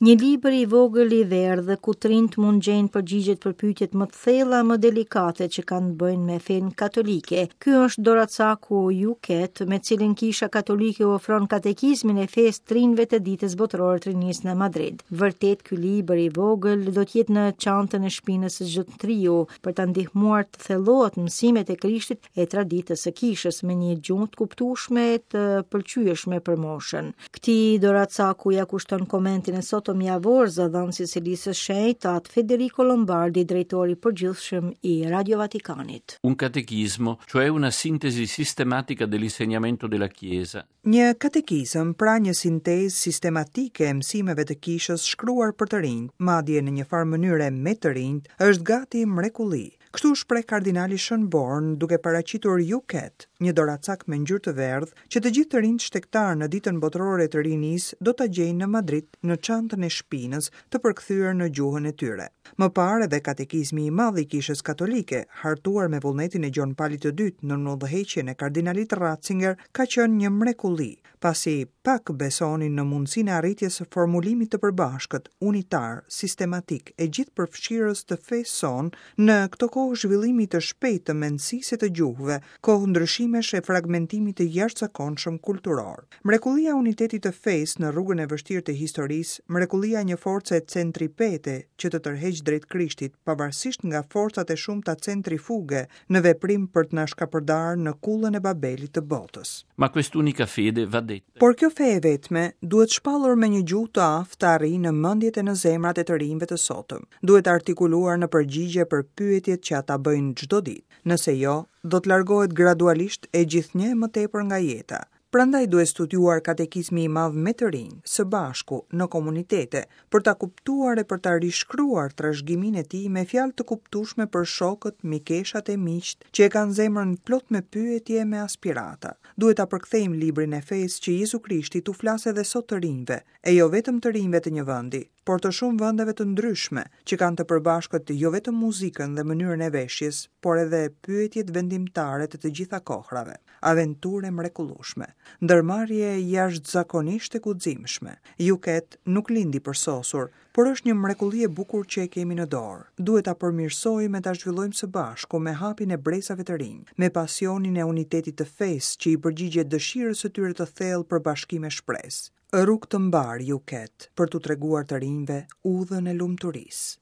Një libër i vogël i verdhë ku të rinjtë mund gjejnë përgjigjet për pyetjet më të thella, më delikate që kanë të bëjnë me fenë katolike. Ky është doracaku YouCat, me cilin Kisha Katolike u ofron katekizmin e fesë të rinjve të Ditës Botërore të Rinisë në Madrid. Vërtet ky libër i vogël do të jetë në çantën e shpinës së çdo të riu për ta ndihmuar të thellohet mësimet e Krishtit e traditës së kishës me një gjuhë të kuptueshme e të pëlqyeshme për moshën. Këtij doracaku ia kushton komentin e sotëm javor zëdhënësi i Selisë së Shenjtë, At Federico Lombardi, drejtor i përgjithshëm i Radio Vatikanit. Un catechismo, cioè una sintesi sistematica dell'insegnamento della Chiesa. Një katekizëm, pra një sintezë sistematike e mësimeve të Kishës shkruar për të rinjtë, madje në një farë mënyre me të rinjtë, është gati mrekulli. Kështu u shpreh kardinali Schönborn duke paraqitur YouCat, një doracak me ngjyrë të verdhë, që të gjithë të rinjtë shtegtarë në Ditën Botërore të Rinisë do ta gjejnë në Madrid në çantën e shpinës, të përkthyer në gjuhën e tyre. Më parë edhe Katekizmi i Madh i Kishës Katolike, hartuar me vullnetin e Gjon Palit të Dytë nën udhëheqjen e kardinalit Ratzinger, ka qenë një mrekulli, pasi pak besonin në mundësinë e arritjes së formulimit të përbashkët, unitar, sistematik e gjithëpërfshirës të fesë sonë në këto kohë zhvillimi të shpejtë të mendësisë e të gjuhëve, kohë ndryshimesh e fragmentimi të jashtëzakonshëm kulturor. Mrekullia e unitetit të fesë në rrugën e vështirë të historisë, mrekullia e një force centripete që të tërheq drejt Krishtit, pavarësisht nga forcat e shumta centrifuge në veprim për të na shkapërdarë në kullën e Babelit të botës. Ma quest'unica fede va detta. Por kjo fe e vetme duhet shpallur me një gjuhë të aftë të arrijë në mendjet e në zemrat e të rinjve të sotëm. Duhet artikuluar në përgjigje për pyetjet që ata bëjnë çdo ditë. Nëse jo, do të largohet gradualisht e gjithnjë e më tepër nga jeta. Prandaj duhet studiuar Katekizmi i Madh me të rinj, së bashku, në komunitete, për ta kuptuar e për ta rishkruar trashëgiminë e tij me fjalë të kuptueshme për shokët, mikeshat e miqtë që e kanë zemrën plot me pyetje e me aspirata. Duhet ta përkthejmë librin e fesë që Jezu Krishti t'u flasë edhe sot të rinjve, e jo vetëm të rinjve të një vendi, por të shumë vendeve të ndryshme, që kanë të përbashkët jo vetëm muzikën dhe mënyrën e veshjes, por edhe pyetjet vendimtare të të gjitha kohrave. Aventurë e mrekullueshme. Ndërmarrje jashtëzakonisht e guximshme. YouCat nuk lindi përsosur, por është një mrekulli e bukur që e kemi në dorë. Duhet ta përmirësojmë e ta zhvillojmë së bashku me hapin e brezave të rinj, me pasionin e unitetit të fesë që i përgjigjet dëshirës së tyre të thellë për bashkim e shpresë. Rrugë të mbarë YouCat për t'u treguar të rinjve udhën e lumturisë.